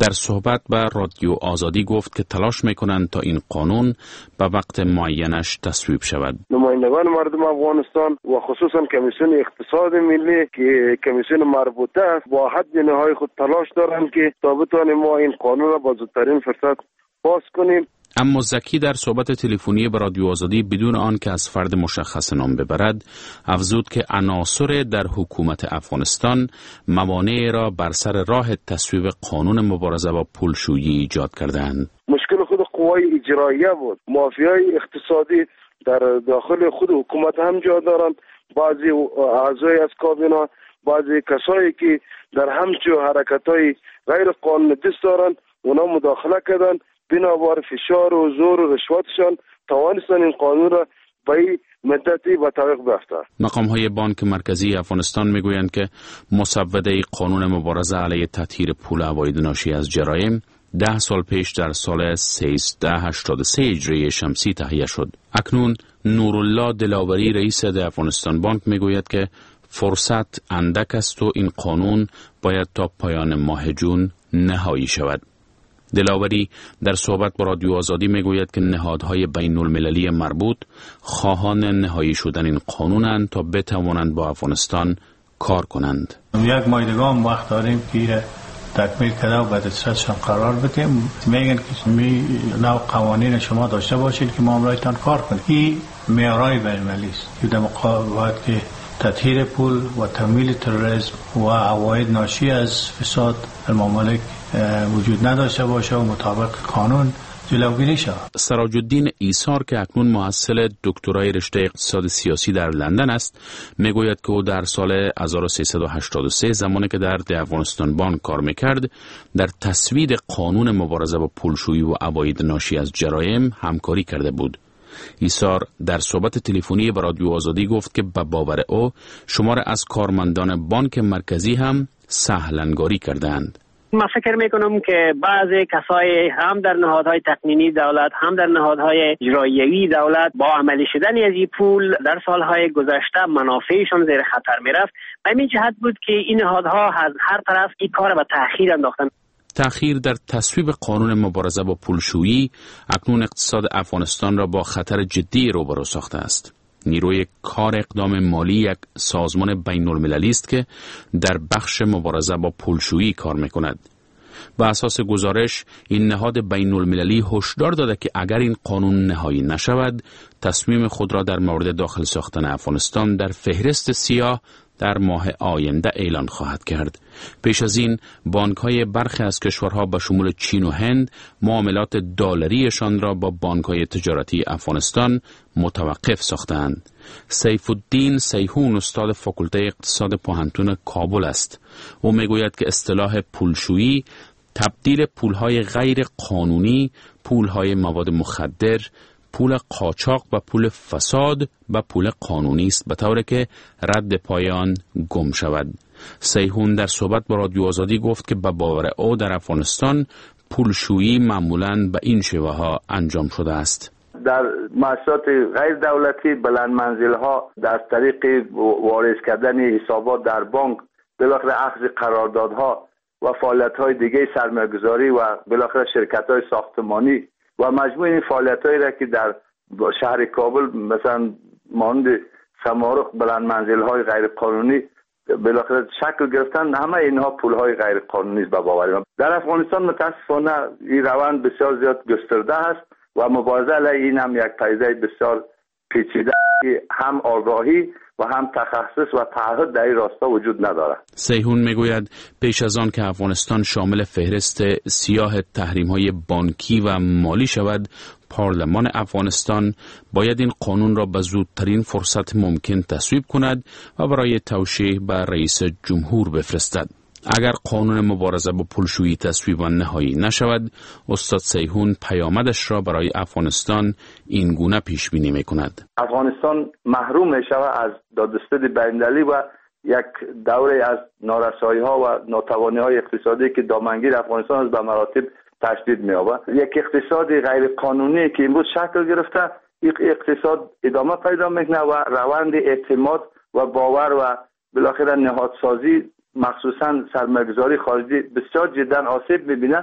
در صحبت با رادیو آزادی گفت که تلاش میکنند تا این قانون به وقت معینش تصویب شود. نمایندگان مردم افغانستان و خصوصا کمیسیون اقتصاد ملی که کمیسیون مربوطه است، با حد نهای خود تلاش دارند که تا بتوانیم ما این قانون را با زودترین فرصت پاس کنیم. اما زکی در صحبت تلفنی به رادیو آزادی بدون آن که از فرد مشخص نام ببرد، افزود که عناصر در حکومت افغانستان موانع را بر سر راه تصویب قانون مبارزه با پولشویی ایجاد کردند. مشکل خود قوای اجراییه بود. مافیای اقتصادی در داخل خود حکومت هم جا دارند. بعضی اعضای از کابینه، بعضی کسایی که در همچو حرکت‌های غیر قانونی دست دارند، اونا مداخله کردند. بنابر فشار و زور و رشوتشان توانستن این قانون را به مدتی به تعویق بیفتند. مقام های بانک مرکزی افغانستان میگویند که مسوده قانون مبارزه علیه تطهیر پول عواید ناشی از جرایم ده سال پیش در سال سیزده هشتاد و سه هجری شمسی تهیه شد. اکنون نورالله دلاوری، رئیس افغانستان بانک، میگوید که فرصت اندک است و این قانون باید تا پایان ماه جون نهایی شود. دلاوری در صحبت با رادیو آزادی میگوید که نهادهای بین المللی مربوط خواهان نهایی شدن این قانونند تا بتوانند با افغانستان کار کنند. یک ماه دیگه هم وقت داریم که تکمیل کرده و به دسترسشان قرار بدیم. میگن که می نوع قوانین شما داشته باشید که ما امرایتان کار کنیم. این معیارهای بین المللی است که در مقابل که تطهیر پول و تمویل تروریسم و عواید ناشی از فساد الممالک وجود نداشته باشه و مطابق قانون جلوگیری شود. سراج الدین ایثار که اکنون محصل دکترای رشته اقتصاد سیاسی در لندن است، میگوید که او در سال هزار و سیصد و هشتاد و سه زمانی که در افغانستان بانک کار میکرد، در تصویب قانون مبارزه با پولشویی و عواید ناشی از جرایم همکاری کرده بود. ایثار در صحبت تلفنی با رادیو آزادی گفت که به باور او شمار از کارمندان بانک مرکزی هم سهلنگاری کردند. ما فکر میکنم که بعضی کسای هم در نهادهای تقنینی دولت هم در نهادهای اجراییوی دولت با عملی شدن از این پول در سالهای گذشته منافعشان زیر خطر میرفت. همین جهت بود که این نهادها از هر طرف این کار به تأخیر انداختند. تأخیر در تصویب قانون مبارزه با پولشویی اکنون اقتصاد افغانستان را با خطر جدی روبرو ساخته است. نیروی کار اقدام مالی یک سازمان بین المللی است که در بخش مبارزه با پولشویی کار میکند. به اساس گزارش این نهاد بین المللی هشدار داده که اگر این قانون نهایی نشود، تصمیم خود را در مورد داخل ساختن افغانستان در فهرست سیاه در ماه آینده اعلان خواهد کرد. پیش از این بانک‌های برخی از کشورها به شمول چین و هند معاملات دلاریشان را با بانک‌های تجارتی افغانستان متوقف ساختند. سیف الدین سیحون استاد فاکولته اقتصاد پوهنتون کابل است. او میگوید که اصطلاح پولشویی تبدیل پولهای غیر قانونی، پولهای مواد مخدر، پول قاچاق و پول فساد و پول قانونی است، به طوری که رد پایان گم شود. سیحون در صحبت با رادیو آزادی گفت که به باور او در افغانستان پولشویی معمولاً به این شیوه ها انجام شده است. در مؤسسات غیر دولتی، بلند منزل ها، در طریق وارد کردن حسابات در بانک، بالاخره اخذ قراردادها و فعالیت های دیگه سرمایه‌گذاری و بالاخره شرکت های ساختمانی و مجموع این فعالیت‌هایی را که در شهر کابل مثلا مانند سمارق بلند منزل‌های غیر قانونی بالاخره شکل گرفتن، همه اینها پول‌های غیر قانونی است به باور من. در افغانستان متاسفانه این روند بسیار زیاد گسترده است. و مبارزه علیه این هم یک پدیده بسیار پیچیده که هم آگاهی و هم تخصص و تعهد در این راستا وجود ندارد. سیحون میگوید پیش از آن که افغانستان شامل فهرست سیاه تحریم‌های بانکی و مالی شود، پارلمان افغانستان باید این قانون را به زودترین فرصت ممکن تصویب کند و برای توشیح به رئیس جمهور بفرستد. اگر قانون مبارزه با پولشویی تصویب و نهایی نشود، استاد سیحون پیامدش را برای افغانستان این گونه پیش بینی میکند. افغانستان محروم می شود از دادستد بین‌المللی و یک دوره از نارسایی ها و ناتوانی های اقتصادی که دامنگیر افغانستان از به مراتب تشدید می یابد. یک اقتصاد غیر قانونی که امروز شکل گرفته، یک اقتصاد ادامه پیدا میکنه و روند اعتماد و باور و بالاخره نهادسازی، مخصوصا سرمایه‌گذاری خارجی، بسیار جدا آسیب می‌بینه.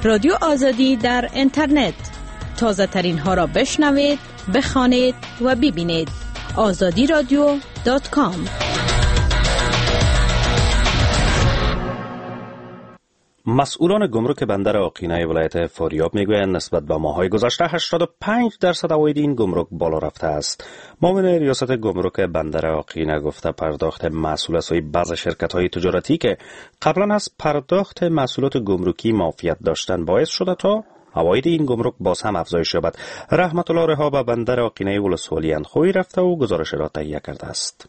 رادیو آزادی در اینترنت، تازه ترین ها را بشنوید، بخوانید و ببینید. آزادی رادیو دات کام. مسئولان گمرک بندر آقینه ولایت فاریاب میگویند نسبت به ماه‌های گذشته هشتاد و پنج درصد عواید این گمرک بالا رفته است. معاون ریاست گمرک بندر آقینه گفته پرداخت محصول از سوی بعض شرکت‌های تجارتی که قبلا از پرداخت محصولات گمرکی معافیت داشتند باعث شده تا عواید این گمرک باز هم افزایش یابد. رحمت الله رها به بندر آقینه ولسوالی اندخوی رفته و گزارش را تهیه کرده است.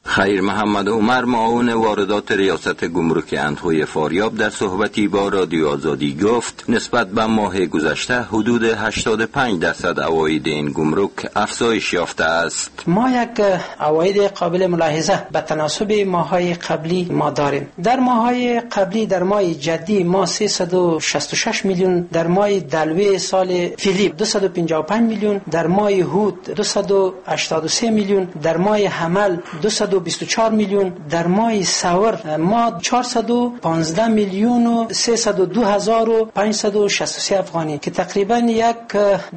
خیر محمد عمر، معاون واردات ریاست گمرک اندخوی فاریاب، در صحبتی با رادیو آزادی گفت نسبت به ماه گذشته حدود هشتاد و پنج درصد عواید این گمرک افزایش یافته است. ما یک عواید قابل ملاحظه به تناسب ماه‌های قبلی ما داریم. در ماه‌های قبلی در ماه جدی ما سیصد و شصت و شش میلیون، در ماه دلوی سال فعلی دویست و پنجاه و پنج میلیون، در ماه هوت دویست و هشتاد و سه میلیون، در ماه حمل دویست و بیست و چهار میلیون، در ماه ثور ما چهارصد و پانزده میلیون و سیصد و دو هزار و پانصد و شصت و سه افغانی که تقریبا یک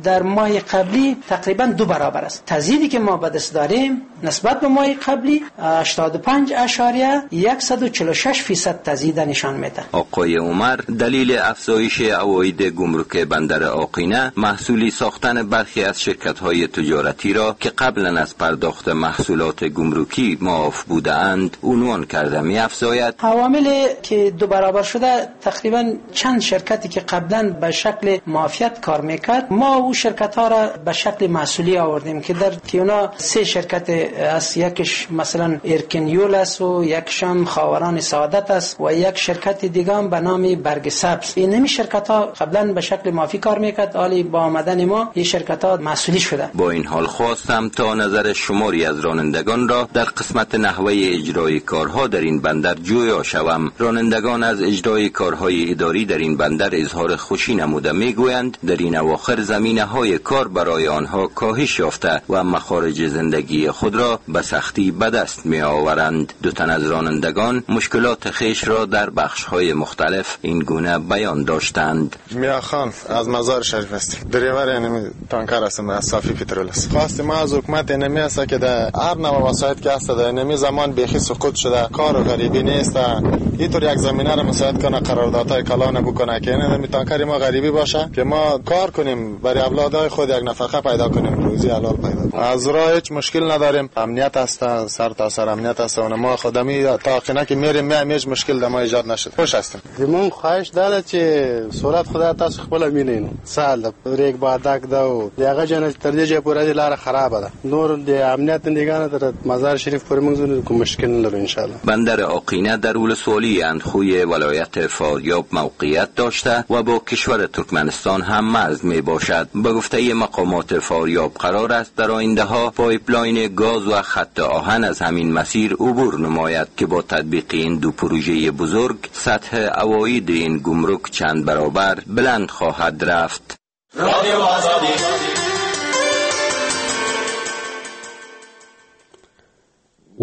در ماه قبلی تقریبا دو برابر است. تزیدی که ما به دست داریم نسبت به ماه قبلی هشتاد و پنج اعشاریه صد و چهل و شش فیصد تزیید نشان میده. آقای عمر دلیل افزایش عواید گمرک بندر آقینه محصولی ساختن برخی از شرکت‌های تجارتی را که قبلا از پرداخت محصولات گمرکی معاف بودند عنوان کرده می افزاید. عوامل که دو برابر شده تقریبا چند شرکتی که قبلا به شکل معافیت کار میکرد، ما او شرکت ها را به شکل محصولی آوردیم که در که اونا سه شرکت است، یکش مثلا ارکنیول است و یکش هم خاوران سعادت است و یک شرکت دیگه هم به نام برگ سبز. این نمی شرکت ها قبلا به شکل معافی کار میکرد، حالی با آمدن ما این شرکت ها محصولی شده. با این حال خواستم تا نظر شماری از رانندگان را در قسمت نحوه اجرای کارها در این بندر جویا شوم. رانندگان از اجرای کارهای اداری در این بندر اظهار خوشی نموده میگویند در این اواخر زمینه های کار برای آنها کاهش یافته و مخارج زندگی خود را به سختی به دست می آورند. دو تن از رانندگان مشکلات خویش را در بخش های مختلف این گونه بیان داشتند. میا خان از مزار شریف است، دریور یعنی تانکر هستم، از صافی پترول است. خواست ما از حکومت نمی است که در هر نوع وسایط که هست در نمی زمان بیخی سقوط شده، کار و غریبی نیست، اینطور یک زمینه را مساعد کنه، قراردادهای کلان بکنه که این تانکر ما غریبی باشه که ما کار کنیم برای اولادهای خود یک نفقه پیدا کنیم، روزی حلال پیدا کنیم. از راه هیچ مشکل نداریم، امنیت است، سر تا سر امنیت است و ما خودمی تا قینه که میریم می هیچ مشکل در ما ایجاد نشد، خوش هستیم. زمون خواهش داره چې صورت خدا تاسو خپل مینین سال د ریک بادک دا او دغه جن تر دې چې پورې لار خراب ده، نور د امنیت نگاه در مزار شریف پورې موږ کوم مشکل نلرو ان شاء الله. بندر آقینه در ولسوالی اندخوی ولایت فاریاب موقعیت داشته و با کشور ترکمنستان هم مرز می باشد. به گفته مقامات فاریاب قرار است در آینده ها پایپلاین گاز و خط آهن از همین مسیر عبور نماید که با تطبیق این دو پروژه بزرگ سطح عواید این گمرک چند برابر بلند خواهد رفت. رادیو آزادی.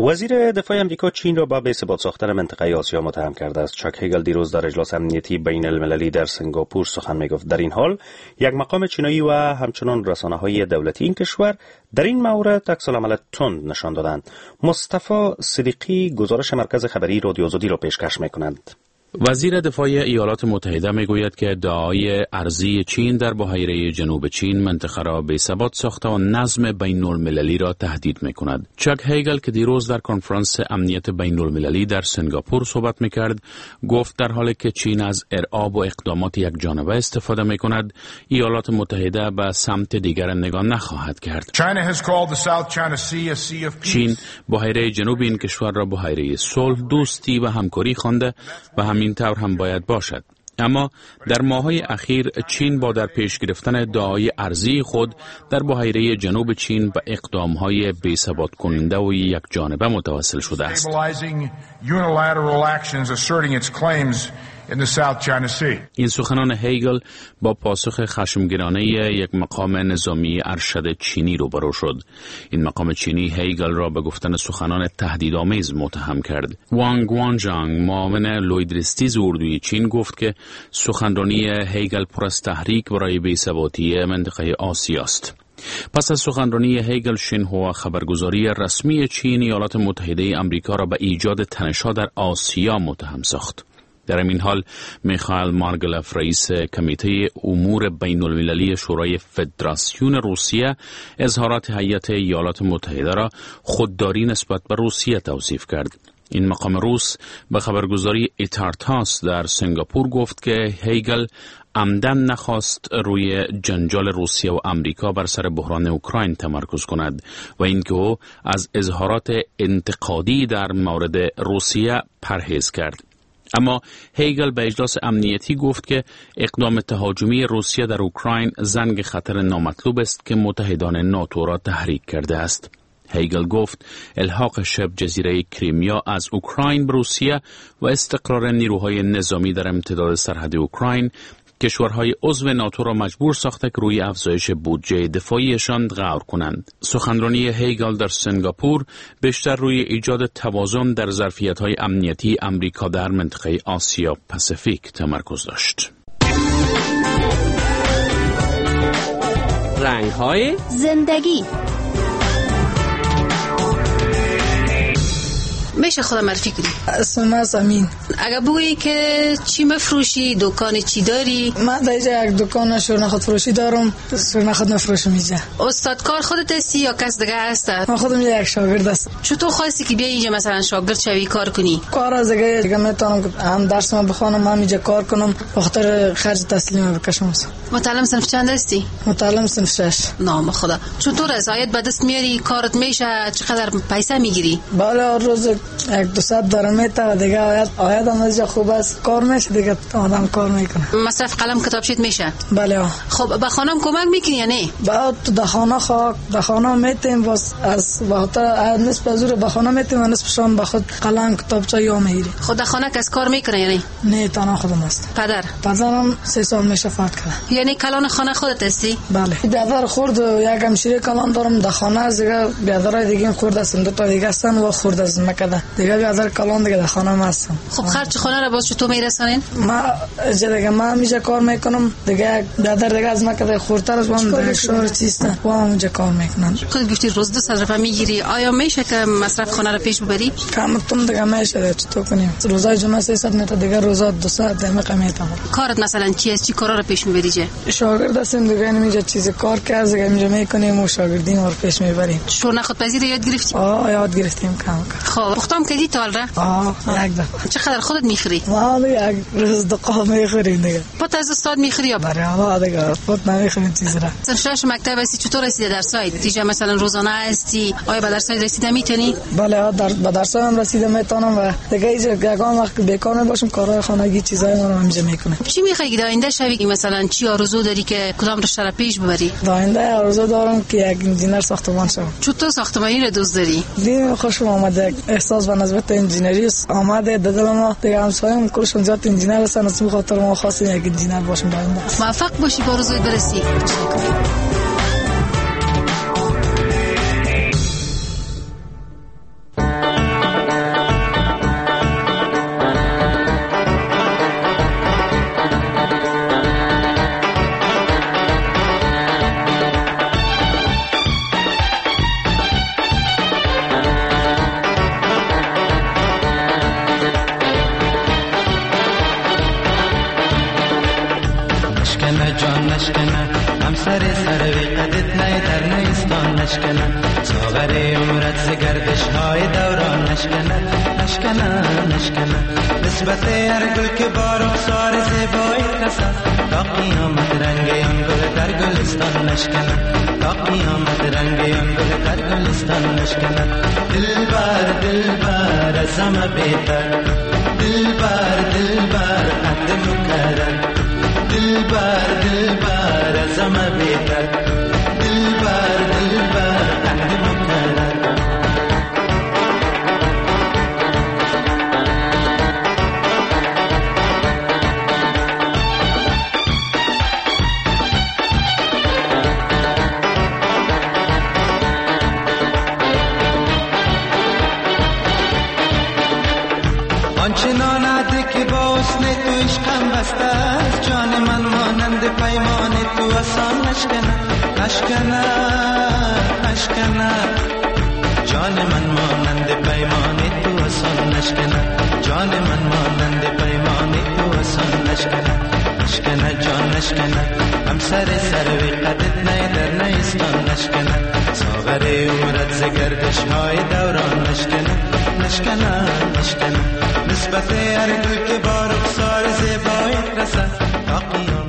وزیر دفاع امریکا چین را به بی‌ثبات ساختن منطقه آسیا متهم کرده است. چاک هیگل دیروز در اجلاس امنیتی بین المللی در سنگاپور سخن میگفت. در این حال یک مقام چینایی و همچنان رسانه‌های دولتی این کشور در این مورد عکس العمل تند نشان دادند. مصطفی صدیقی گزارش مرکز خبری رادیو آزادی را پیشکش می‌کنند. وزیر دفاع ایالات متحده میگوید که ادعای ارضی چین در بحیره جنوب چین منطقه را بی‌ثبات ساخته و نظم بین المللی را تهدید میکند. چک هیگل که دیروز در کنفرانس امنیت بین المللی در سنگاپور صحبت میکرد، گفت در حالی که چین از ارعاب و اقدامات یک جانبه استفاده میکند، ایالات متحده به سمت دیگر نگاه نخواهد کرد. چین بحیره جنوب این کشور را بحیره صلح، دوستی و همکاری خوانده و همین طور هم باید باشد. اما در ماه‌های اخیر چین با در پیش گرفتن ادعای ارضی خود در بحیره جنوب چین به اقدام‌های بی‌ثبات کننده و یک جانبه متوسل شده است. این سخنان هیگل با پاسخ خشمگینانه یک مقام نظامی ارشد چینی روبرو شد. این مقام چینی هیگل را به گفتن سخنان تهدیدآمیز متهم کرد. وانگ وانجانگ، معاون لوی درستیز اردوی چین، گفت که سخنرانی هیگل پر از تحریک برای بی‌ثباتی منطقه آسیا است. پس از سخنرانی هیگل، شینهوا، خبرگزاری رسمی چین، ایالات متحده آمریکا را به ایجاد تنش‌ها در آسیا متهم ساخت. در این حال میخائیل مارگلف، رئیس کمیته امور بین المللی شورای فدراسیون روسیه، اظهارات هیئت ایالات متحده را خودداری نسبت به روسیه توصیف کرد. این مقام روس به خبرگزاری ایتارتاس در سنگاپور گفت که هیگل عمدن نخواست روی جنجال روسیه و امریکا بر سر بحران اوکراین تمرکز کند و اینکه او از اظهارات انتقادی در مورد روسیه پرهیز کرد. اما هیگل به اجلاس امنیتی گفت که اقدام تهاجمی روسیه در اوکراین زنگ خطر نامطلوب است که متحدان ناتو را تحریک کرده است. هیگل گفت الحاق شبه جزیره کریمیا از اوکراین به روسیه و استقرار نیروهای نظامی در امتداد سرحد اوکراین کشورهای عضو ناتو را مجبور ساخته که روی افزایش بودجه دفاعیشان غور کنند. سخنرانی هیگل در سنگاپور بیشتر روی ایجاد توازن در ظرفیت‌های امنیتی امریکا در منطقه آسیا پاسیفیک تمرکز داشت. رنگ‌های زندگی. میشه خودم معرفی کنی؟ اسم من امین. اگه بگویی که چی مفروشی، دکان چی داری؟ من در اینجا یک دکان شورنخود فروشی دارم، شورنخود مفروشم اینجا. استاد کار خودت هستی یا کس دیگه هست؟ من خودم یک شاگرد هستم. چطور خواستی که بیای اینجا مثلا شاگرد شوی کار کنی؟ کار از دیگه دیگه میتونم هم درس من بخوانم هم اینجا کار کنم، بخاطر خرج تسلیم بکشم. متعلم صنف چند هستی؟ متعلم صنف شش. نام خدا. چطور از عاید به دست میاری؟ کارت میشه؟ چقدر پیسه میگیری؟ بله روز یک دو صد دارم میته و دیگه آید آید هم از خوب است، کار میشه دیگه، آدم کار میکنه. مصرف قلم کتاب شید میشه؟ بله. خب به خانم کمک میکنی یا نه؟ بعد تو خانه خاک به خانه میتیم، باز از وقتا نصف زور به خانه میتیم و نصف شام به خود قلم کتابچه یا میگیری. خود خانه کس کار میکنه یعنی؟ نه تنها خودم است. پدر؟ پدرم سه سال میشه فوت کرده. یعنی کلان خانه خودت هستی؟ بله. بیادر خورد یک همشیره کلان دارم در خانه، از دیگه بیادرای دیگه خورد هستن، دو تا دیگه هستن و خورد از مکده. دیگه بیادر کلان دیگه در خانه ما هستم. خب خرج خانه را باز چطور میرسانین؟ ما دیگه ما همیشه کار میکنم دیگه، بیادر دیگه از مکده خوردتر از وام دیگه شهر چیستن و هم اونجا کار میکنن. خودت گفتی روز دو صد روپیه میگیری، آیا میشه که مصرف خانه را پیش ببری؟ کم تم دیگه میشه، چطور کنیم؟ روزای جمعه سیصد میته، دیگه روزا دویست دقیقه میتم. کارت مثلا چی است؟ چی کارا را پیش میبری؟ چه شاگرد هستیم دیگه، اینجا چیز کار که از دیگه اینجا میکنیم و شاگردی ما رو پیش میبریم. شور نخود پذیر یاد گرفتی؟ آه یاد گرفتیم کم کم. خب پختام کردی تا حالا؟ آه یک دفعه. چقدر خودت میخوری؟ ما دیگه روز دو قاب میخوریم دیگه. پت از استاد میخوری یا؟ بله آه دیگه پت نمیخوریم چیز را. صنف شش مکتب هستی، چطور رسیده در سایت؟ دیگه مثلا روزانه هستی، آیا به درس رسیده میتونی؟ بله در به درس هم رسیده میتونم و دیگه اینجا یگان وقت بیکار باشم کارهای خانگی چیزای ما رو اینجا میکنم. چی میخوای در آینده شوی؟ مثلا چی آرزو داری که کدام رشته را پیش ببری؟ در آینده آرزو دارم که یک انجینر ساختمان شوم. چطور ساختمانی را دوست داری؟ دیگه خوشم آمده، احساس به نسبت انجینری آمده در دل ما. دیگه همسایم کلشون زیاد انجینر هستن، از این خاطر ما خواستیم یک انجینر باشیم در آینده. موفق باشی، به آرزوت برسی. همسر سروی قدت نی در نیستان نشکند، ساغر عمرت ز گردش های دوران نشکند، نشکند نشکند. نسبت هر گل که با رخسار زیبایی رسد، تا قیامت رنگ آن گل در گلستان نشکند، تا قیامت رنگ آن گل در گلستان نشکند. دلبر دلبر از همه بهتر، دلبر دلبر قد مکرر، دلبر دلبر از همه بهتر، دلبر دلبر قد مکرر. آنچنان عهد که با حسن تو عشقم بسته است، جان من مانند پیمان تو آسان نشکند، نشکند نشکند. جان من مانند پیمان تو آسان نشکند، جان من مانند پیمان تو آسان نشکند، نشکند جان نشکند. همسر سروی قدت نی در نیستان نشکند، ساغر عمرت ز گردش های دوران نشکند، نشکند نشکند. نسبت هر گل که با رخسار زیبایت رسد، تا قیامت